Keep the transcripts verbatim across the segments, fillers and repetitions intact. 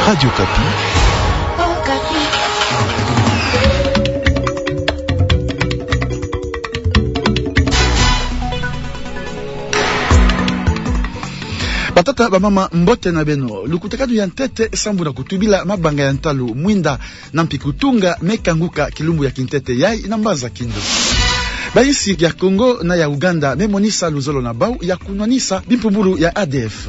Radio Okapi. Batata, bamama, mbote na beno. Lukutakanu ya ntete sambu na kutubila mabanga ya ntalu mwinda na mpi kutunga me kanguka kilumbu ya kintete yai na mbanza Kindu. Bayinsi ya Congo na ya Ouganda me monisa luzolo na bau ya kunwanisa bimpumbulu ya A D F.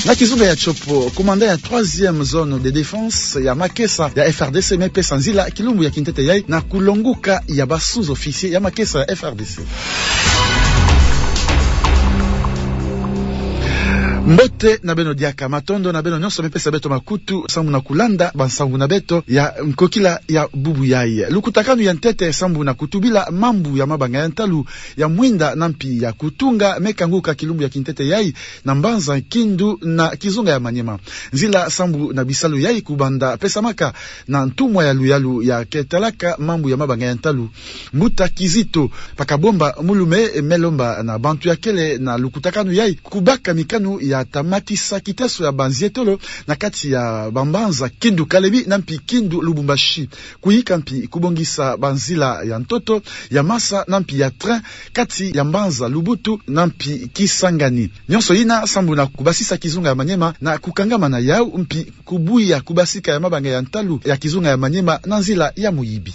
Na kizunga ya Tshopo, commandant ya troisième zone de défense ya makesa ya F R D C me pesa nzila kilumbu ya kintete yai na kulonguka ya ba sous-officiers ya makesa ya F R D C. Mbote na beno diaka, matondo na beno nyonso me pesa beto makutu sambu na kulanda bansangu na beto ya nkokila ya bubu yai. Lukutakanu ya ntete sambu na kutubila mambu ya mabanga ya ntalu ya mwinda na mpi ya kutunga me kanguka kilumbu ya kintete yai na mbanza Kindu na kizunga ya Maniema. Nzila sambu na bisalu yai kubanda pesamaka na ntumwa ya luyalu ya ketalaka mambu ya mabanga ya ntalu, mbuta Kizito Pakabomba Mulume, me lomba na bantu ya kele na lukutakanu yai kubaka mikanu ya ta matisa kiteso ya banzietolo na kati ya bambanza Kindu Kalemi na mpi Kindu Lubumbashi. Kuyika mpi kubongisa banzila ya ntoto, ya masa na mpi ya train kati ya mbanza Lubutu na mpi Kisangani. Nyonso yina sambu na kubasisa kizunga ya Maniema na kukangama na yau mpi kubuya kubasika ya mabanga ya ntalu ya kizunga ya Maniema na nzila ya muyibi.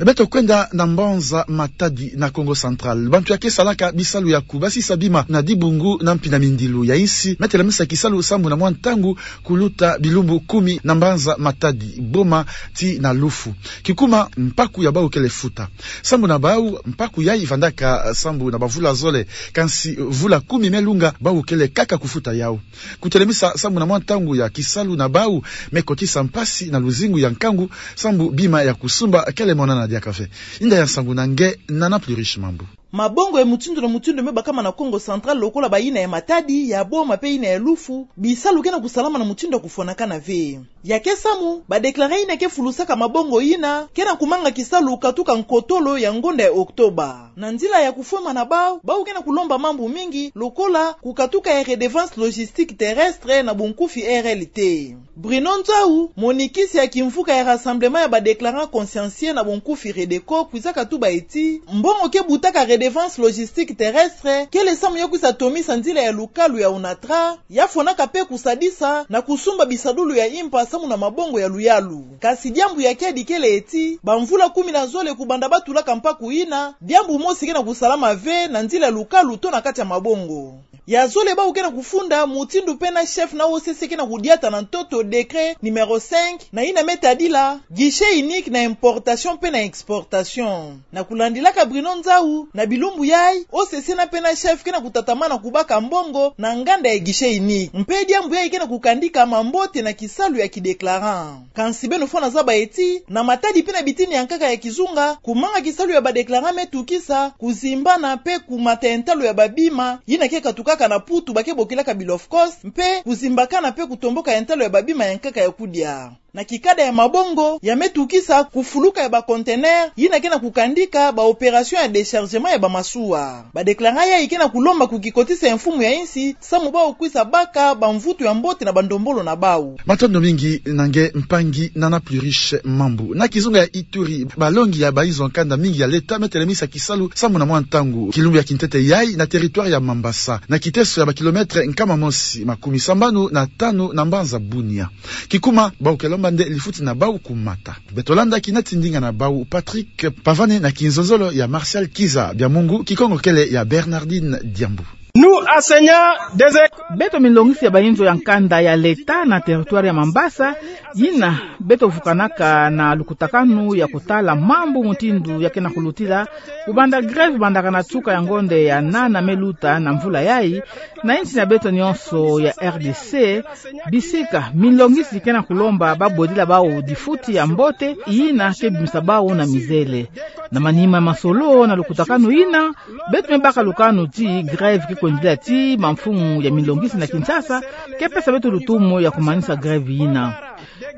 Beto kwenda na mbanza Matadi na Kongo Central. Bantu ya kesalaka bisalu ya kubasisa bima na dibungu na mpi na mindilu ya insi me telamisa kisalu sambu na mwa ntangu kuluta bilumbu kumi na mbanza Matadi, Boma tii na Lufu. Kikuma, mpaku ya bau kele futa. Sambu na bau, mpaku yai vandaka sambu na bavula zole, kansi vula kumi me lunga bau kele kaka kufuta yau. Kutelamisa sambu na mwa ntangu ya kisalu na bau me kotisa mpasi na luzingu ya nkangu, sambu bima ya kusumba kele monana diaka ve. Inda ya nsangu na nge Nana Pluriche Mambu. Mabongo ya mutindu na mutindu me bakama na Kongo Central, lokola bayina ya Matadi, ya Boma pe yina ya Lufu, bisalu ke na kusalama na mutindu ya kufwanakana ve. Ya ke samu, ba déclarant yina ke fulusaka mabongo yina ke na kumanga kisalu katuka nkotolo ya ngonda ya Octobre. Na nzila ya kufwema na bau, bau ke na kulomba mambu mingi, lokola kukatuka ya redevance logistique terrestre, na bunkufi R L T. Bruno Nzau, monikisi ya kimvuka ya Rassemblement ya ba déclarant consciencieux, na bunkufi REDECO, kwizaka tuba ti mbongo ke butaka redevance logistique terrestre kele samu ya kwisa tomisa nzila ya lukalu ya ONATRA, ya fwanaka pe kusadisa na kusumba bisadulu ya impa samu na mabongo ya luyalu. Kansi diambu ya kiadi kele ti bamvula kumi na zole kubanda ba tulaka mpaku yina, diambu mosi ke na kusalama ve na nzila ya lukalu to na kati ya mabongo. Ya zole, bau ke na kufunda mutindu pena chef na O C C ke na kudiata na ntoto décret numéro cinq, na yina me tadila guichet unique na importation pe na exportation. Na kulandilaka Bruno Nzau, na bilumbu yai, O C C na pena chef ke na kutatamana kubaka mbongo na nganda ya guichet unique. Mpe diambu yai ke na kukandika mambote na kisalu ya ki déclarant. Kansi beno fwana zaba ti, na Matadi pe na bitini ya nkaka ya kizunga, kumanga kisalu ya ba déclarant me tukisa kuzimbana pe kumata ya ntalo ya babima yina ke katukaka na Putu, ba ke bokilaka bill of cost, mpe kuzimbakana pe kutomboka ya ntalo ya babima ya nkaka ya kudia. Na kikada ya mabongo, ya me tukisa kufuluka ya ba conteneurs yina ke na kukandika ba opérations ya déchargement ya ba masuwa. Ba déclarant yai ke na kulomba kukikotisa ya mfumu ya insi, samu bau kwisa baka bamvutu ya mbote na bandombolo na bau. Matondo mingi na nge mpangi Nana Pluriche Mambu. Na kizunga ya Ituri, balongi ya bainzo ya nkanda mingi ya l'État me telemisa kisalu samu na mwa ntangu kilumbu ya kintete yai na territoire ya Mambasa, na kiteso ya ba kilomètres nkama mosi makumi sambanu na tanu na mbanza Bunia. Kikuma, bau ke lomba nde lifuti na bau kumata. Beto landa kina ti ndinga na bau Patrick Pavane na kinzonzolo ya Martial Kiza. Bia Mungu, Kikongo kele ya Bernardine Diambu. Nous, enseignants des écoles. Beto milongisi ya bainzo ya nkanda ya l'État na territoire ya Mambasa, yina beto vukanaka na lukutakanu ya kutala mambu mutindu ya ke na kulutila, kubanda grève bandaka na nsuka ya ngonde ya nana me luta na mvula yai, na insi na beto nyonso ya R D C, bisika milongisi ke na kulomba babodila bau difuti ya mbote yina ke bimisa bau na mizele. Na manima masolo na lukutakanu yina, beto me baka lukanu ti grève ke kwendila ti bamfumu ya milongisi na Kinshasa ke pesa beto lutumu ya kumanisa grève yina.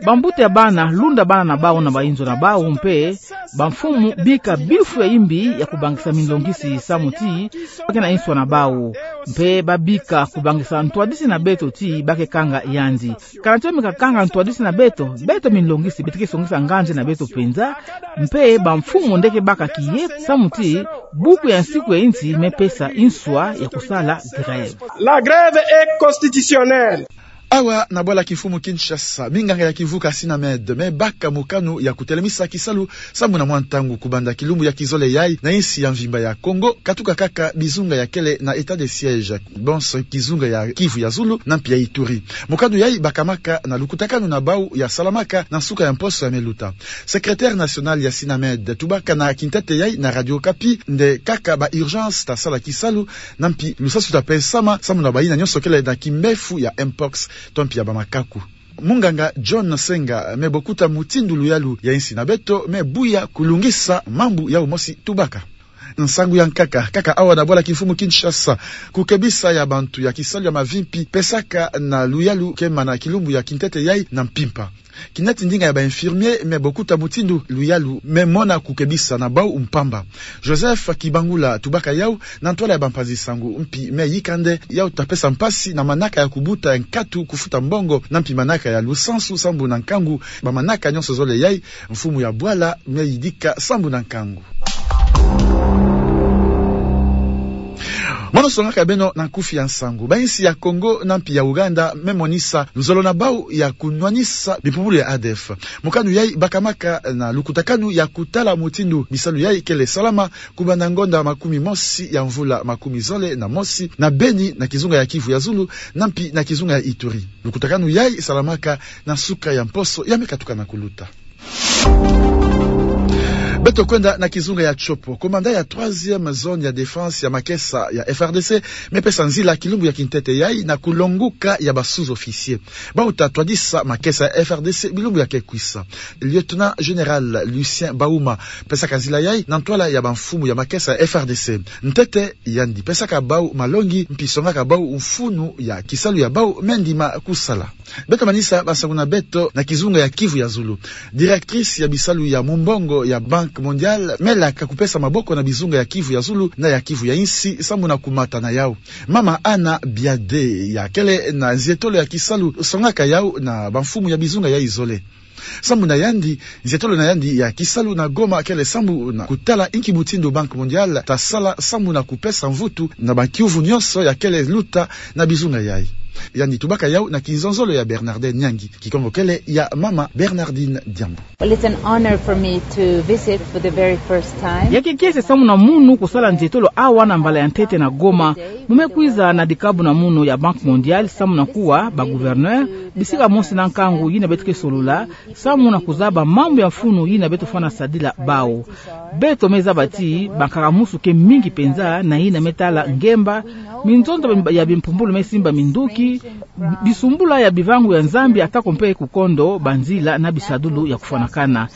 Bambuta ya bana lunda bana na bau na bainzo na bau, mpe bamfumu bika bifu ya imbi ya kubangisa milongisi samu ti ba ke na inswa na bau. Mpe babika kubangisa ntwadisi na beto ti ba ke kanga yandi. Kana ti ba me kakanga ntwadisi na beto, beto minlongisi beto ke songisa nganzi na beto penza, mpe bamfumu nde ke baka kiye, samu ti buku ya nsiku ya insi me pesa inswa ya kusala grève. La grève est constitutionnelle. Awa na bwala kimfumu Kinshasa, minganga ya kivuka Synamed me baka mokano ya kutelemisa kisalu sambu na mwa ntangu kubanda kilumbu ya kizole yai na insi ya mvimba ya Congo, katuka kaka bizunga ya kele na état de siège, bonso kizunga ya Kivu ya Zulu na mpi ya Ituri. Mokano yai bakamaka na lukutakanu na bau ya salamaka na nsuka ya mposo ya me luta. Secrétaire national ya Synamed tubaka na kintete yai na Radio Okapi nde kaka ba urgences ta sala kisalu, na mpi lusasu ta pesama sambu na bayina nyonso kele na kimbefu ya mpox to mpi ya bamakaku. Munganga John Senga me bokuta mutindu luyalu ya insi na beto me buya kulungisa mambu yau mosi tubaka. Nsangu ya nkaka, kaka awa na bwala kimfumu Kinshasa, kukebisa ya bantu ya kisalu ya mavimpi pesaka na luyalu kemana kilumbu ya kintete yai na mpimpa. Kinati ndinga ya ba infirmiers me bokuta mutindu luyalu me mona kukebisa na bau mpamba. Joseph Kibangula tubaka yau na ntwala ya bampanzi-nsangu mpi me yika nde yau ta pesa mpasi na manaka ya kubuta ya nkatu kufuta mbongo na mpi manaka ya lusansu sambu na nkangu. Bamanaka nyonso zole yai, mfumu ya bwala me yidika sambu na nkangu. Mono songaka beno na nkufi ya nsangu. Bainsi ya Congo na mpi ya Ouganda me monisa luzolo na bau ya kunwanisa bimpumbulu ya ADF. Mokanu yai bakamaka na lukutakanu ya kutala mutindu bisalu yai kele salama kubanda ngonda makumi mosi ya mvula makumi zole na mosi na Beni, na kizunga ya Kivu ya Zulu, na mpi na kizunga ya Ituri. Lukutakanu yai salamaka na nsuka ya mposo ya me katuka na kuluta. Beto kwenda na kizunga ya Tshopo. Commandant ya troisième zone ya défense ya makesa ya FRDC me pesa nzila kilumbu ya kintete yai na kulonguka ya ba sous-officiers bau ta twadisa makesa ya FRDC bilumbu ya ke kwisa. Lieutenant général Lucien Bauma pesaka nzila yai na ntwala ya bamfumu ya makesa ya FRDC. Ntete yandi pesaka bau malongi mpi songaka bau mfunu ya kisalu ya bau me ndima kusala. Beto manisa bansangu na beto na kizunga ya Kivu ya Zulu. Directrice ya bisalu ya mumbongo ya Banque Mondiale me laka kupesa maboko na bizunga ya Kivu ya Zulu na ya Kivu ya insi sambu na kumata na yau. Mama Anna Biade ya kele na nzietolo ya kisalu songaka yau na bamfumu ya bizunga yai zole. Sambu na yandi, nzietolo na yandi ya kisalu na Goma kele sambu na kutala inki mutindu Banque Mondiale ta sala sambu na kupesa mvutu na bakiuvu nyonso ya kele luta na bizunga yai. Yandi tubaka yau na kinzonzolo ya Bernardin Nyangi, Kikongo kele ya mama Bernardine Diambu. Well, it's an honor for me to visit for the very first time. Ya kiese sambu na munu kusala nzietolo awa na mbala ya ntete na Goma. Mu me kwiza na dikabu na munu ya Banque Mondiale sambu na kuwa ba gouverneurs, bisika mosi na nkangu yina beto ke solola, sambu na kuzaba mambu ya mfunu yina beto fwana sadila bau. Beto me zaba ti bankaka-musu ke mingi penza na yina me tala ngemba, minzonzo ya bimpumbulu me simba minduki, bisumbula ya bivangu ya Nzambi, atako mpe kukondo banzila na bisadulu ya kufwanakana.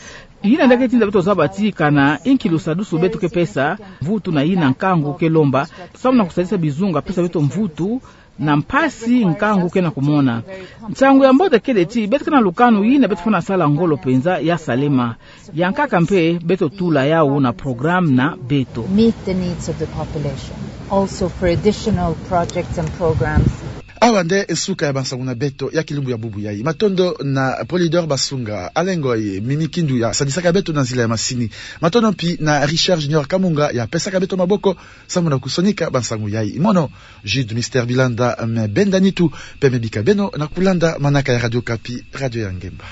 Yina nde ke tinda beto zaba ti kana inki lusadusu beto ke pesa, mvutu na yina nkangu ke lomba, sambu na kusadisa bizunga pesa beto mvutu, na mpasi nkangu ke na kumona. Nsangu ya mbote kele ti beto ke na lukanu yina beto fwana sala ngolo penza ya salema. Ya nkaka mpe beto tula yau na programme na beto. Meet the needs of the population, also for additional projects and programs. Awa nde nsuka ya bansangu na beto ya kilumbu ya bubu yai. Matondo na Polydor Basunga, Alain Ngoy, Mimi Kindu ya sadisaka beto na nzila ya masini. Matondo mpi na Richard Junior Kamunga ya pesaka beto maboko sambu na kusonika bansangu yai. Mono Jude Mister Bilanda me benda nitu, mpe me bika beno na kulanda manaka ya Radio Okapi, radio ya ngemba.